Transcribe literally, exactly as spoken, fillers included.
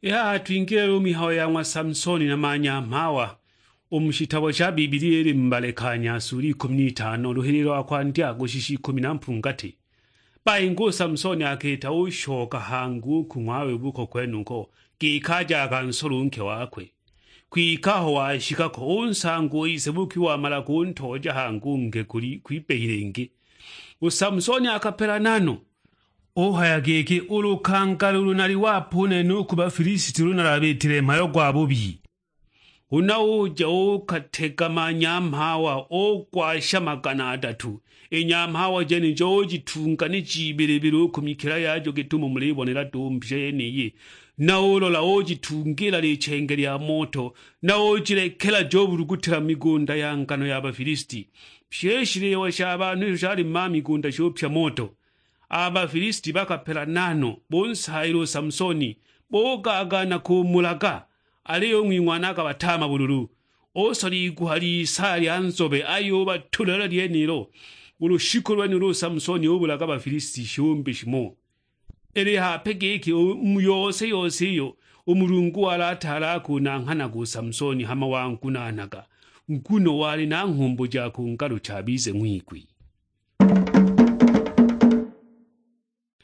I haha twingile u mihayo ya ng'wa Samsoni na manyamhawa, u mu shitabo sha Bibilia ili mu Balekanya sula ikumi n'itano, luhili lwa kwandya kushisha ikumi na mpungati. Bainga u Samsoni akita ushoka hangi u ku ng'wawe buko kwenuko, giki aje akansole u nke wakwe. Kwike aho washika ko, unsanga u ise buki wamala kuntooja hangi u nke kuli kwibehile ingi. U Samsoni akapela nano, uhaya giki, "U lukangala ulu nali wape u nene u ku Bafilisiti ulu nalabitile mhayo gwa bubi." Huna uja ukategama nyamhawa, ugwasha magana adatu. I nyamhawa jenijo ujitunga ni jibilibili u ku mikila yajo gitumo mulibonela du mbisha yeniyi. Na ulola ujitungila lichenge lya moto, na ujilekela jobulugutila mu migunda ya ngano ya Bafilisiti. Pye i shiliwa sha banhu isho shali mu ma migunda shupya moto. A Bafilisiti bakapela nano, bunsaayila u Samsoni, bugaagaana kumulaga, aliyo u ng'wing'wana akabataama bululu. Usola iguha ly'isaya lya nzobe, ayubatulula lyenilo. U lushiku lwenulo u Samsoni ubulaga Bafilisiti shiumbi shimo. Ili hape giki u mu yose yose iyo u Mulungu wali ataali akunanghanaga u Samsoni hama wangunaanaga, nguno wali na nghumbu ja kungalucha abize ng'wigwi.